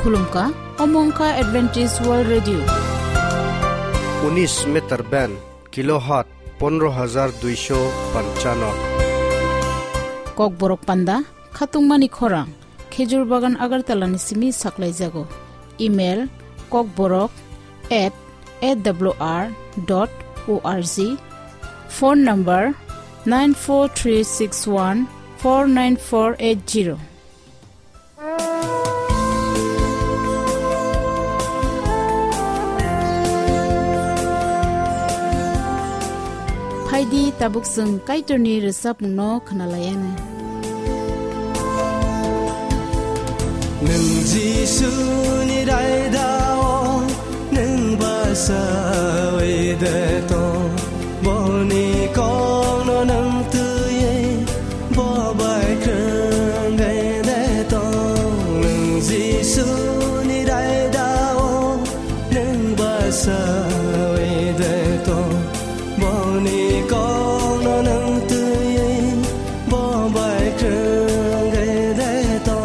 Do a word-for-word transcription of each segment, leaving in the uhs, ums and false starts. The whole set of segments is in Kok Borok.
Khulumkha, omo wngkha Adventist World Radio. Unis meter band, kilohertz pondro hajar duisho panchano. Kokborok panda, khatungmani khorang, Khejur Bagan Agartala ni simi saklaijago. Email, kokborok at A W R dot O R G. Phone number, nine four three six one four nine four eight zero. Phaidi, tabuk chwng Kaitorni rwchapmungno khwnalayani. Nwng Jisuni raidao, nwng basawi de tong. Boni kokno nwng twiwi, bo bai kwrwngwi de tong. Nwng Jisuni raidao, nwng basawi de tong. Boni kokno nwng twiwi, bo bai kwrwngwi de tong.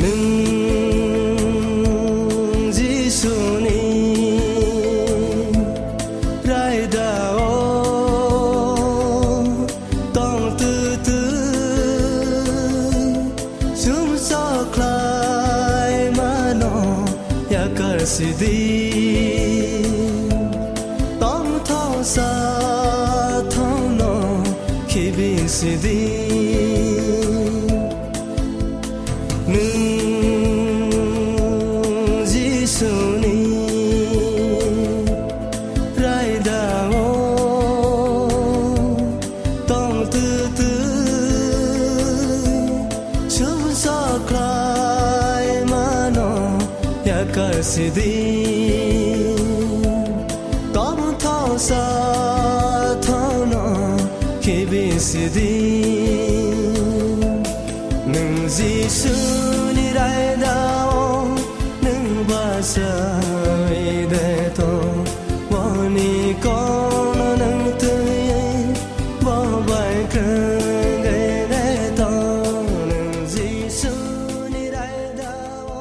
Nwng Jisuni raidao tong twtwi, sumsok khlai mano yakar sidi. Tongthok sathokno khibi sidi. Nwng Jisuni raidao tong twtwi, sumsok khlai mano yakar sidi. Tongthok sathokno khibi sidi. Nwng Jisuni raidao, nwng basawi de tong. Boni kokno nwng twiwi, bo bai kwrwngwi de tong. Nwng Jisuni raidao,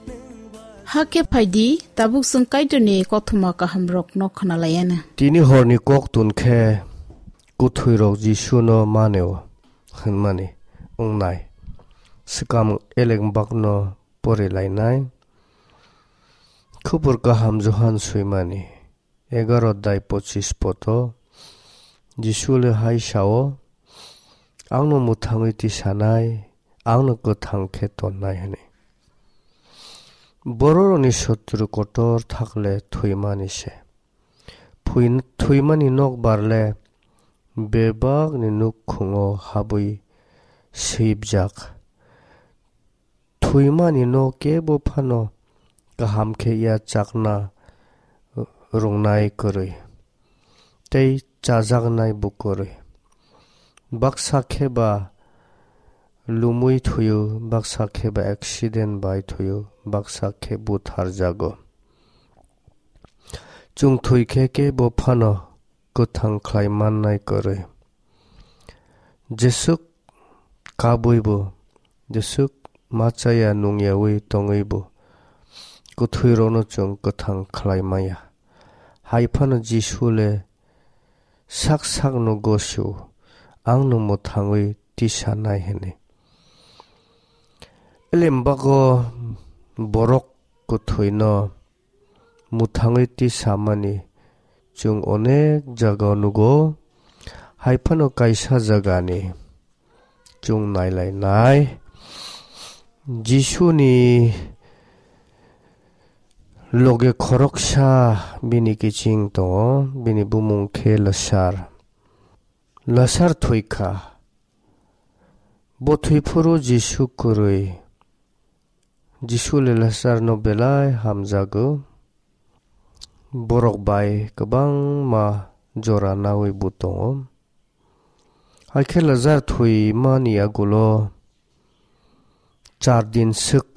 nwng ba- Hakhe phaidi, tabuk chwng Kaitorni kothoma kahamrokno khwnalayana. Tini horni koktun khe kwthwirok Jisuno maneo hwnmani wngnai. Swkang eleng bakno porilainai. Khubur kaham Johan swimani egaro dai pochis poto Jisu le hai sao, "Angno mwthangwi tisanai, angno kwthang khe tonnai," hwnwi. Bororokni sotru kotor thakle thwimani se. Phui-, thwimani nokbar le bebakni nukhungo habwi sibjak. Thwimani no kebo phano kaham khe ya chakna rwngnai kwrwi, tei chajaknai bo kwrwi. Baksa khe ba lumwi thwio, baksa khe ba accident bai thwio, baksa khe butharjago. Chwng thwi khe kebo phano kwthang khlai mannai kwrwi. Jeswk kabwi bo, jeswk ma chaya nungyawi tongwi bo, kwthwirokno chwng kwthang khlai maya. Hai phano Jisu le sak sakno gosio, "Angno mwthangwi tisanai," hwnwi. Elem bago borok kwthwino mwthangwi tisamani chwng onek jagao nugo, hai phano kaisa jagani chwng nailainai. Jisuni loge khoroksa bini kiching tongo, bini bumung khe Lasar. Lasar thwi kha. Bo thwi phuru Jisu kwrwi. Jisu le Lasarno belai hamjago. Borok bai kwbangma jora naui bo tongo. Hakhe Lasar thwimani agulo char din swk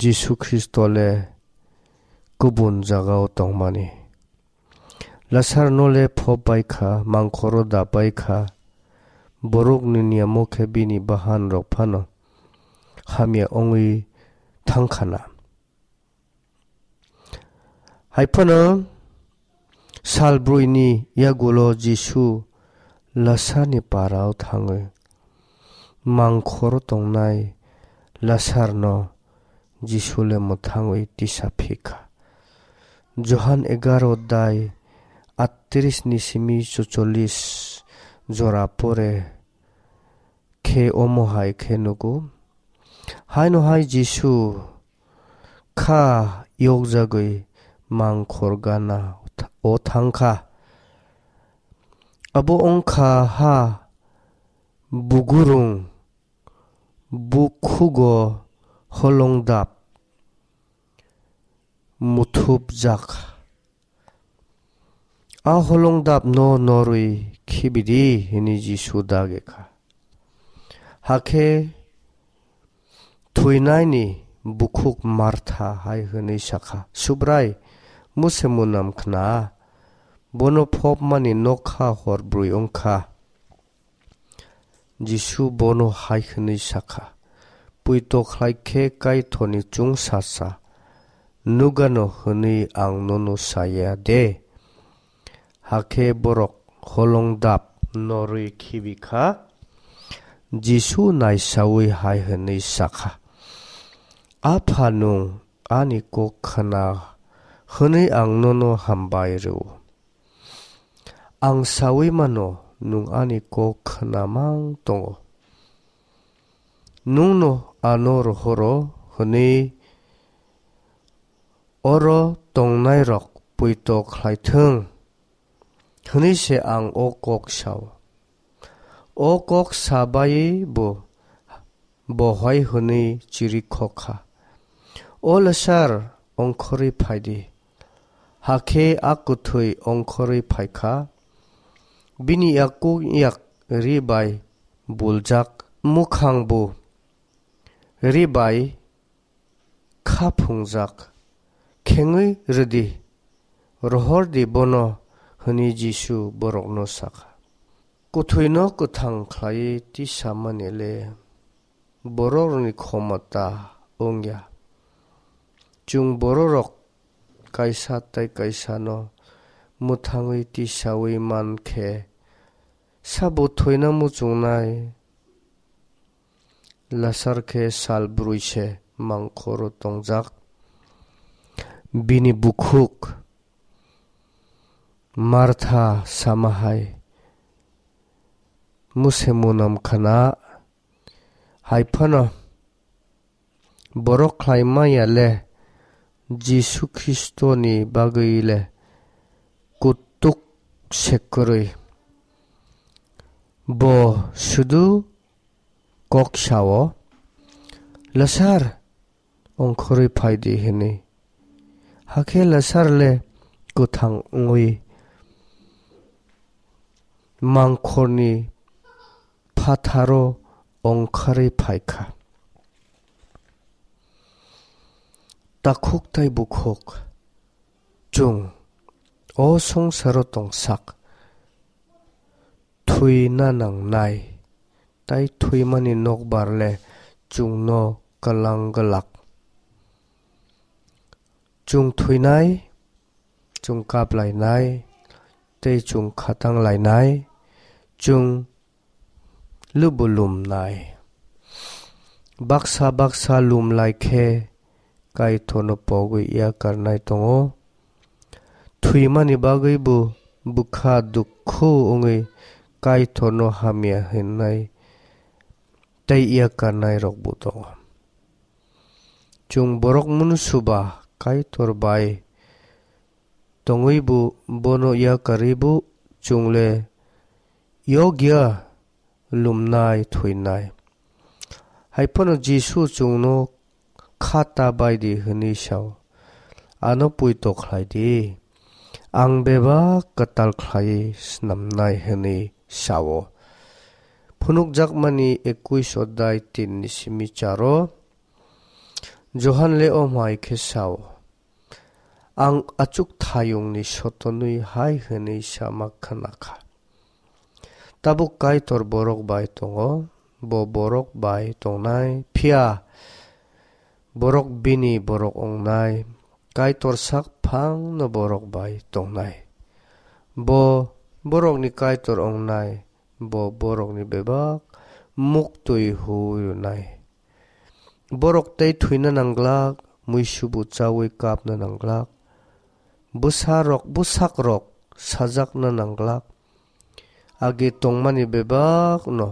Jisu Khristo le kubun jagao tongmani. Lasarno le phop bai kha, mangkhoro dap bai kha, borokni niyamo khe bini bahanrok phano hamya wngwi thang kha na. Hai phano sal broini yagulo Jisu Lasarni parao thangwi mangkhoro tongnai Lasarno Jisu le mwthangwi tisa phi kha. Johan egaro dai atris ni simi chocholis jora pore khe omo hai khe nugo. Haino hai Jisu kha yokjagwi mangkhor gana o thang kha. Abo wng kha ha bugurung bukhugo holongdap muthupjak. A holongdapno norwi khibidi, hwnwi Jisu dagi kha. Hakhe thwinaini bukhuk Martha hai hwnwi sakha, "Subrai, muse munam khna, bono phopmani nokha hor brwi wngkha." Jisu bono hai hwnwi sakha, "Poito khlai khe Kaitorni chwngsasa nugano hwnwi ang nono saya de?" Hakhe borok holongdap norwi khibi kha. Jisu naisaui hai hwnwi sakha, "Apha, nwng ani kok khna hwnwi ang nono hambai rw-o. Ang saui mano, nwng ani kok khna mang tongo. Nwngno ano rohoro hwnwi oro tongnairok poito khlai thung," hwnwi se ang o kok sao. O kok sa baiwi bo bohai hwnwi chirikhok kha, "O Lasar, ongkhorwi phai di." Hakhe a kwthwi ongkhorwi phai kha. Bini yakung yak ri bai buljak, mukhang bo ri bai kha phungjak. "Khengwi rw di, rohor di bono," hwnwi Jisu borokno sa kha. Kwthwino kwthang khlaiwi tisamani le borokni khomota wng ya. Chwng bororok kaisa tei kaisano mwthangwi tisaui man khe, sabo thwina muchungnai? Lasar khe sal brwi se mangkhoro tongjak. Bini bukhuk Martha sama hai, "Muse munam khna, hai phano borok khlai manya le Jisu Khristoni bagwi le kutuk se kwrwi. Bo sudu kok sao, 'Lasar, ongkhorwi phai di,' hwnwi. Hakhe Lasar le kwthang wngwi mangkhorni phatharo ongkhorwi phai kha." Takhuk tei bukhuk, chwng o songsaro tongsak, thwina nangnai, tei thwimani nokbar le chwngno kwlang glak. Chwng thwinai, chwng kap lainai, tei chwng khatang lainai, chwng lubu lumnai. Baksa baksa lum lai khe Kaitorno pogwi yakarnai tongo. Thwimani bagwi bo bwkha dukhu wngwi Kaitorno hamya hwnnai tei yakarnai rokbo tongo. Chwng borok munsuba Kaitor bai tongwi bo bono yakarwi bo chwng le yokya lumnai thwinai. Hai phano Jisu chwngno kha ta bai di hwnwi sao. Ano poito khlai di. Ang bebak kwtal khlaiwi snamnai hwnwi sao. Phunukjakmani ekuis odai tin ni simi charo Johan le omo hai khe sao. Ang achukthayungni sotonwi hai hwnwi sama khna kha: Tabuk Kaitor borok bai tongo, bo borok bai tongnai, phiya borok bini borok wngnai, Kaitor sak phangno borok bai tongnai. Bo borokni Kaitor wngnai, bo borokni bebak muktwi huui rwnai. Borok tei thwina nangglak, muisubu chaui kapna nangglak, bwsarok, bwsakrok sajakna nangglak, age tongmani bebakno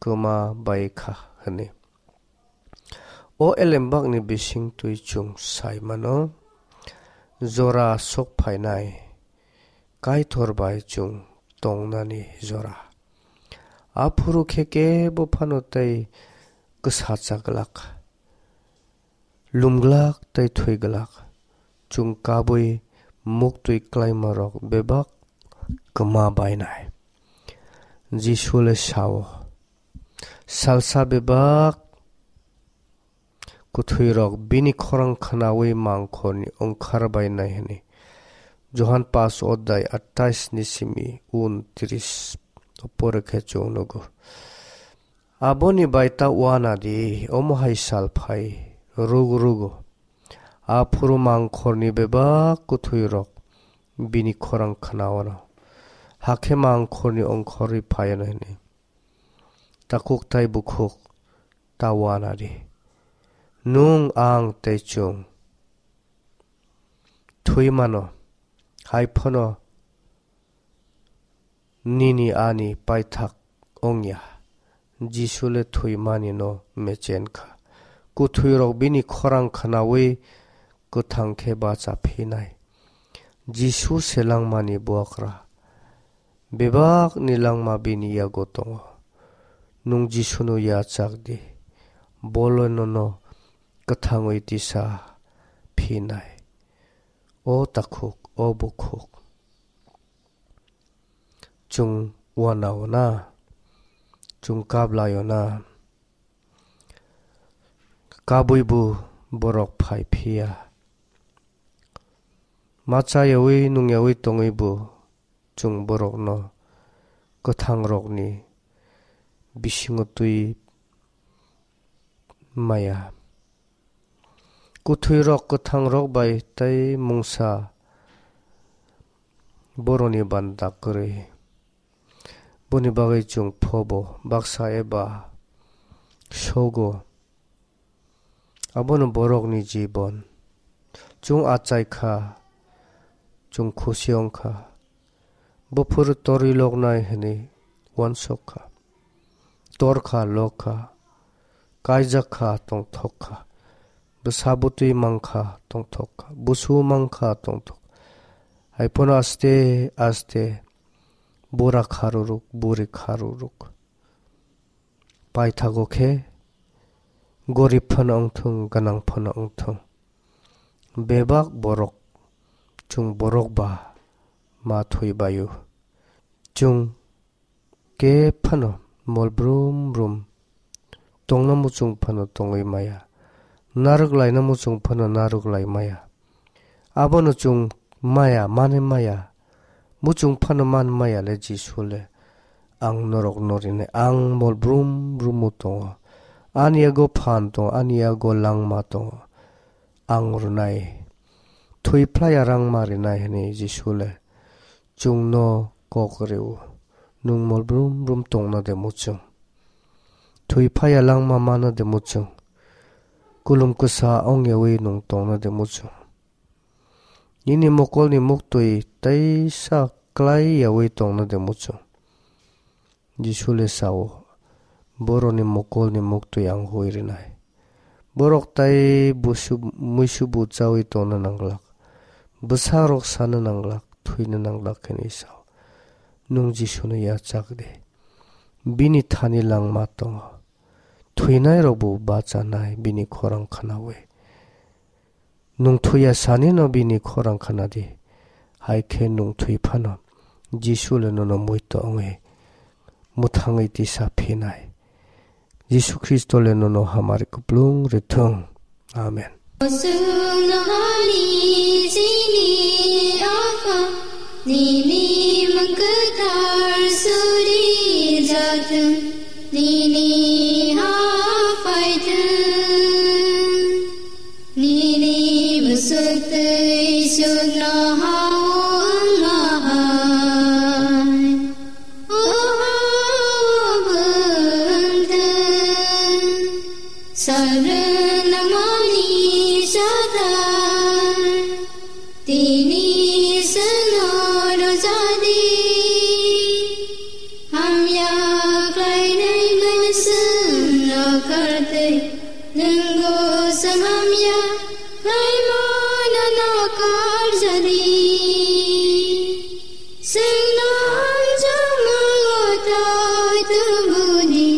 kwma bai kha hwnwi. O elembakni bisingtwi chwng sai mano, jora sok phainai Kaitor bai chwng tongnani jora. Aphuru khe kebo phano tei kwsacha glak, lumglak tei thwi glak. Chwng kabui muktwi klaimarok bebak kwma bainai. Jisu le sao, salsa bebak kwthwirok bini khorang khnaui mangkhorni ongkhar bainai hwnwi. Johan pas odai atais ni simi untris o pore khe chwng nugo. Aboni bai ta uana di, omo hai sal phai rwgo rwgo. Aphuru mangkhorni bebak kwthwirok bini khorang khnaono, hakhe mangkhorni ongkhorwi phaiano hwnwi. Takhuk tai bukhuk ta uana di. Nwng, ang tei chwng thwi mano, hai phano nini ani paithak wngya. Jisu le thwimani no mechen kha. Kwthwirok bini khorang khnaui kwthang khe bacha phinai. Jisu se langmani buakra. Bebakni langma bini yago tongo. Nwng Jisuno yachak di. Bole nono kwthangwi tisa phinai. O takhuk, o bukhuk. Chwng uanao na, chwng kablai-o na, kabui bo borok phai phiya. Ma chayaui nungyaui tongwi bo chwng borokno kwthangrokni bisingo twi maya. Kwthwirok kwthangrok bai tei mungsa boroni banda kwrwi. Boni bagwi chwng phobo baksa eba sogo. Abono borokni jibon. Chwng achai kha, chwng khusi wng kha. Buphuru torwi loknai hwnwi uansuk kha. Tor kha, lok kha, kaijak kha, tongthok kha. Bwsa bwtwi mang kha, tongthok kha. Busu mang kha, tongthok. Hai phano aste aste bura kha rwrwk, buri kha rwrwk. Paithago khe gorib phano wng thung, gwnang phano wng thung, bebak borok, chwng borok ba ma thwi bai-o. Chwng khe phano mol brum brum tongna muchung phano tongwi maya, narwk laina muchung phano narwk lai maya. Abono chwng maya, mani maya. Muchung phano man maya le Jisu le. Ang norok no rinai, ang mol brum brum o tongo. Ani yago phan tongo, ani yago langma tongo. Ang rwnai. Thwi phlai ya rang ma rinai hwnwi Jisu le chwng no kok rw-o. Nwng mol brum brum tongna de muchung? Thwi phai ya langma mana de muchung? Kulum kwsa wng yaui nwng tongna de muchung? Nini mokolni muktwi teisa klai yaui tongna de muchung? Jisu le sao, boroni mokolni muktwi ang hui rinai. Borok tai busu-, muisubu chaui tongna nanglak. Bwsarok sana nanglak, thwina nanglak hwnwi sao. Nwng Jisuno yachak di. Bini thani langma tongo. Thwinairokbo bachanai bini khorang khnaui. Nwng thwiya sanino bini khorang khna di, hai khe nwng thwi phano Jisu le nono muitu wngwi mwthangwi tisa phinai. Jisu Khristo le nono hamari kuplung rwthwng. Amen. Nini okham, nini mung kwthar suri jathwng, nini ha phaithwng, nini bwswk twi sukno ha wngma hai. Oho bwngthwng, salrwng nangmani sathai. Tini seno rojadi, hamya khlainai mwswng nakartwi, nwngbo swng hamya khlaimano nakarjadi. Swngno hamjakma twi tubudi,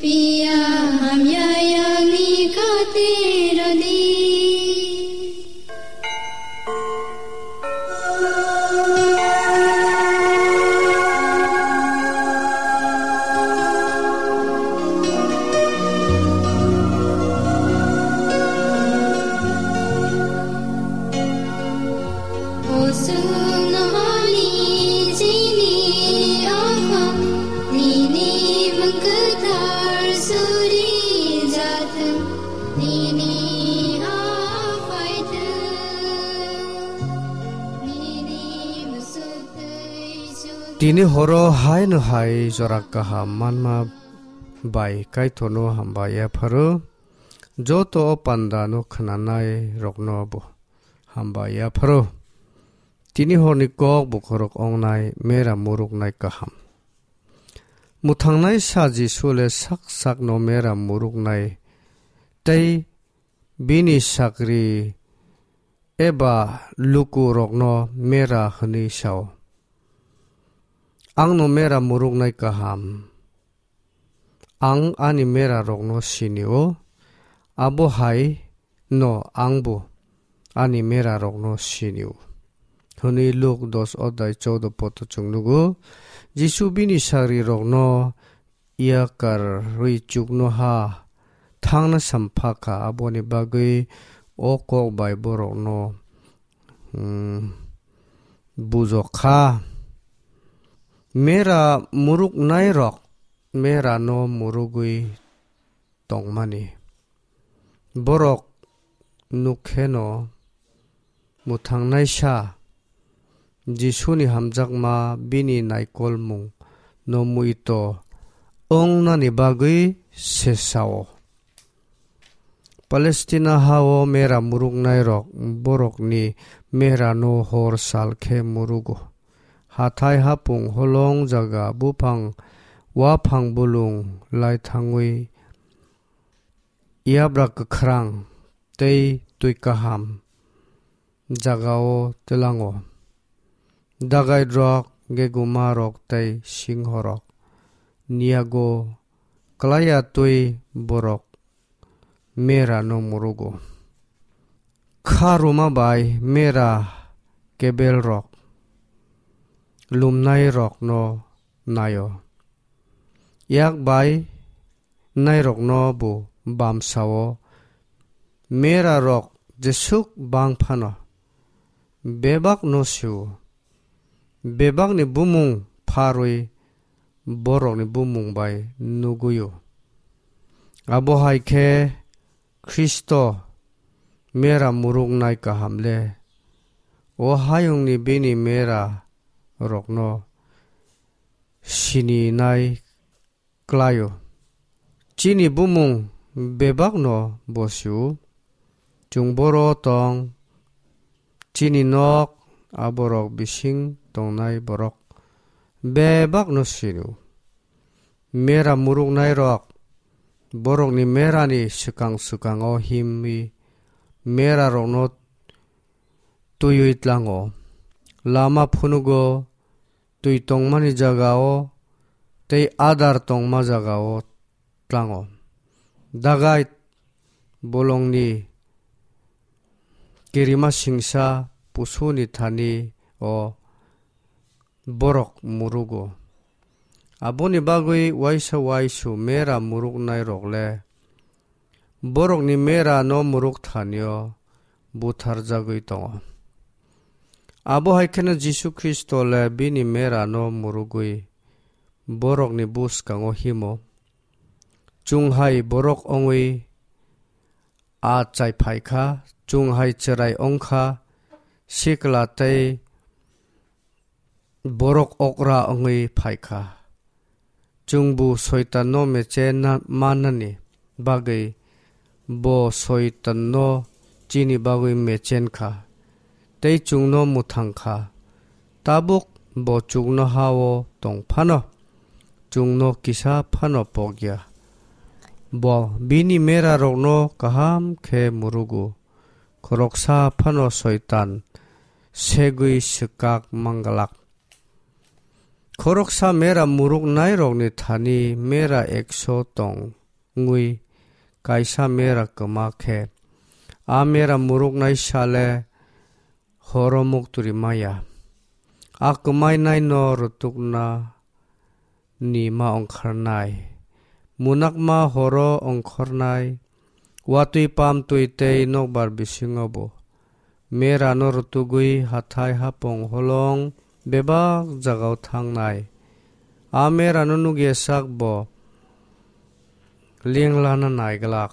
phiya hamya yakni khatirodi. Tini horo haino hai jora kaham manma bai Kaitorno hambai yapharo, joto o panda no khwnanai rokno bo hambai yapharo. Tini horni kok bokhorok ongnai mera muruknai kaham. Mwthangnai sa Jisu le sak sakno mera muruknai tei bini sakri eba lukurokno mera hwnwi sao. Angno mera muruknai kaham. Ang ani mera rokno sinio, abo hai no angbo ani mera rokno sinio. Hwnwi Luk dos odai choudo poto chwng nugo. Jisu bini sagri rokno yakarwi chuknoha thangna sampha kha, aboni bagwi o kok bai borokno, hmm, bujok kha. Mera muruknai rok mera no murugwi tongmani. Borok nukheno mwthangnaisa Jisuni hamjakma bini naikolmung no muito wngnani bagwi se sao. Palestina hao mera muruknairok borokni merano hor sal khe murugo. Hathai hapung holong jaga buphang waphang bulung lai thangwi yabra kwkhrang tei twi kaham jagao twilango. Dagairok, gegumarok tei singhorok niyago klaiya twi borok merano murugo. Kha rwma bai mera kebelrok lumnairokno naio. Yak bai nairokno bo bamsao merarok jesuk bang phano bebakno sio. Bebakni bumung pharwi borokni bumung bai nuguio. Abo hai khe Khristo mera muruknai kaham le. O hayungni bini mera rokno sininai klaio. Chini bumung bebakno bosio. Chwng boro tong, chini nok, aborok bising tongnai borok bebakno sio. Mera muruknairok borokni merani swkang swkango himwi merarokno twiwi tlango. Lama phunugo, twi tongmani jagao tei adar tongma jagao tlango. Dagait bolongni kirima singsa pusuni thani o borok murugo. Aboni bagwi waisa waisu mera muruknairok le borokni mera no muruk thanio butharjagwi tongo. Abo hai kheno Jisu Khristo le bini mera no murugwi borokni bwskango himo. Chwng hai borok wngwi achai phai kha, chwng hai chwrai wng kha, sikla tei borok okra wngwi phai kha. Chwngbo Soitanno mechen na-, mannani bagwi bo Soitanno chini bagwi mechen kha, tei chwngno mwthang kha. Tabuk bo chuknoha-o tong phano, chwngno kisa phano pok ya. Bo bini merarokno kaham khe murugo, khoroksa phano Soitan segwi swkak manglak. Khoroksa mera muruknairokni thani mera ekso tong wngwi kaisa mera kwma khe, a mera muruknai sale horo mukturi maya. A kwmainaino rutukna ni ma ongkharnai. Munakma horo ongkhornai. Watwi pamtwi tei nokbar bisingo bo merano rutugwi hathai hapung holong bebak jagao thangnai. A merano nugya sak bo lenglana naiglak.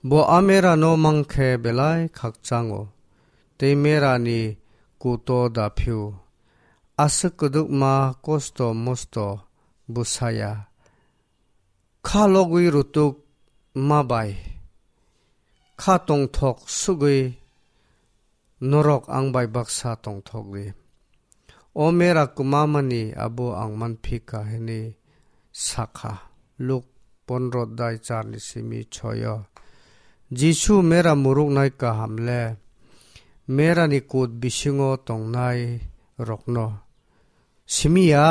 Bo a merano mangkhe belai khakchango, tei merani kuto da phio. Aswk kwdwkma kosto mosto bwsaya. Kha logwi rutuk ma bai. Kha tongthok sugwi norok ang bai baksa tongthok di. O mera kwmamani abo ang manphi kha hwnwi sakha. Luk pondro dai charni simi choyo. Jisu mera muruknai kaham le merani kut bisingo tongnai rokno simi ya,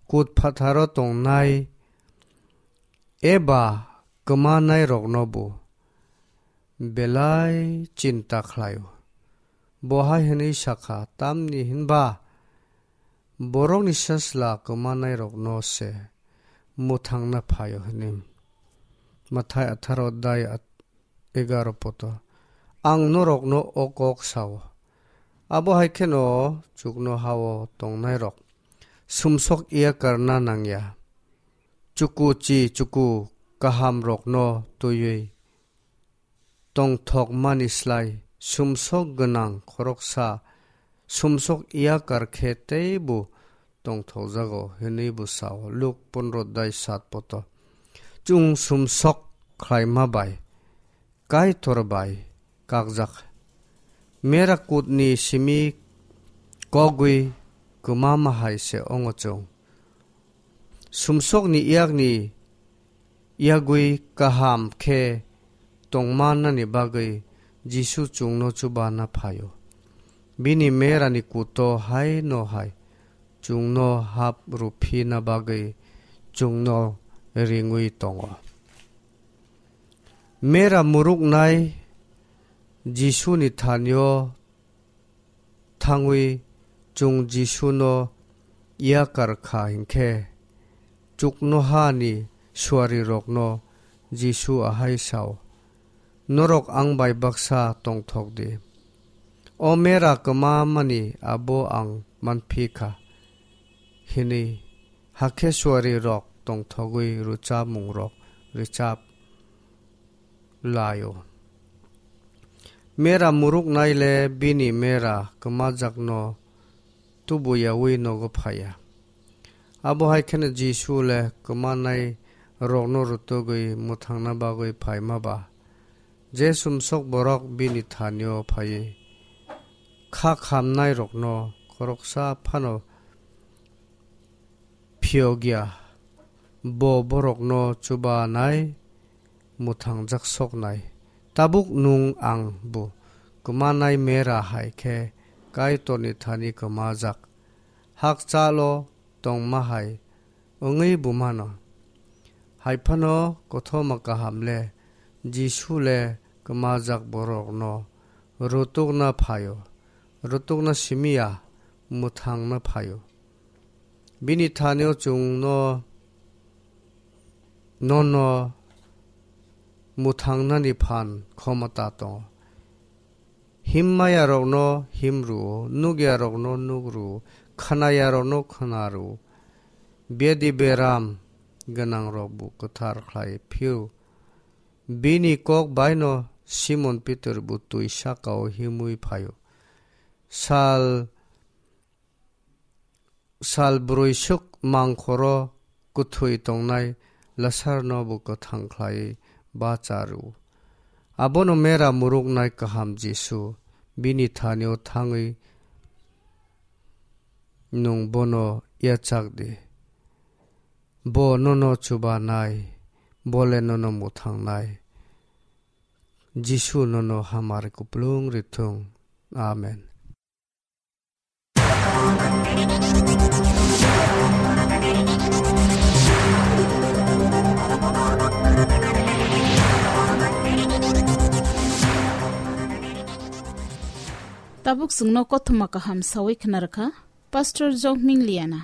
kut phatharo tongnai eba kwmanai rokno bo belai chinta khlaio. Bo hai hwnwi sakha, tamni hinba borokni sasla kwmanairokno se mwthangna phaio hwnwi. Mathai atharo dai at-, egaro poto. Ang norokno o kok sao. Abo hai kheno chuknoha-o tongnairok sumsok yakarna nangya. Chuku chi chuku kahamrokno twiwi tongthokmani slai sumsok gwnang khoroksa sumsok yakar khe teibo tongthokjago hwnwi bo sao. Luk pondro dai sat poto. Chwng sumsok khlaima bai Kaitor bai kakjak. Mera kutni simi kogwi kwmama hai se ongo chwng. Sumsokni yakni yagwi kaham khe tongmannani bagwi Jisu chwngno chubana phaio. Bini merani kuto hai no hai chwngno hap rwphina bagwi chwngno ringwi tongo. Mera muruknai Jisuni thanio thangwi chwng Jisuno yakar kha hinkhe, chuknohani suarirokno Jisu ahai sao, "Norok ang bai baksa tongthok di. O mera kwmamani abo ang manphi kha," hwnwi hakhe suarirok tongthogwi rwchapmungrok rwchap laio. Mera muruknai le bini mera kwmajakno tubuyaui nogo phaiya. Abo hai kheno Jisu le kwmanai rokno rwtugwi mwthangna bagwi phaima ba, je sumsok borok bini thanio phaiwi kha khamnai rokno khoroksa phano phiyokya, bo borokno chubanai mwthangjak soknai. Tabuk nwng ang bo kwmanai mera hai khe Kaitorni thani kwmajak, hakchalo tongma hai wngwi bo mano. Hai phano kothoma kaham le Jisu le kwmajak borokno rwtukna phaio, rwtukna simi ya, mwthangna phaio. Bini thanio chwngno, nono mwthangnani phan khomota tongo. Himmayarokno him rw-o, nukyarokno nuk rw-o, khwnayarokno khwna rw-o. Bedi beram gwnangrokbo kwthar khlai phio. Bini kok baino Simon Pitor bo twi saka-o himwi phaio. Sal, sal brwi swk mangkhoro kwthwi tongnai Lasarno bo kwthang khlai bacha rw-o. Abono mera muruknai kaham Jisu bini thani-o thangwi nwng bono yachak di. Bo nono chubanai, bole nono mwthangnai. Jisu nono hamari kupulung rithung. Amen. Tabuk chwngno kothoma kaham sawi khna rwkha Pastor Jokming Liana.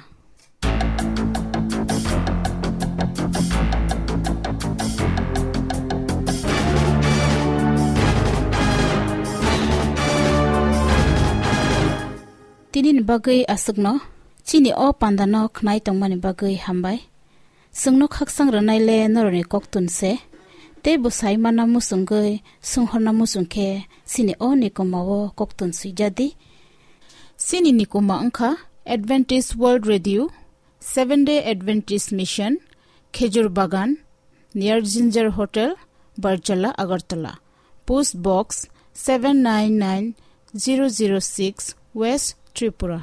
Tinini bagwi aswkno chini o pandano khnai tongmani bagwi hambai. Chwngno khaksang rwnai le norokni koktun se, tei bwsai manna muchungwi swnghorna muchung khe chini o nikoma-o koktun swijadi. Chini nikoma wngkha Adventist World Radio, Seventh Day Adventist Mission, Khejur Bagan, near Ginger Hotel, Barjala, Agartala. Post Box seven nine nine zero zero six, West Tripura.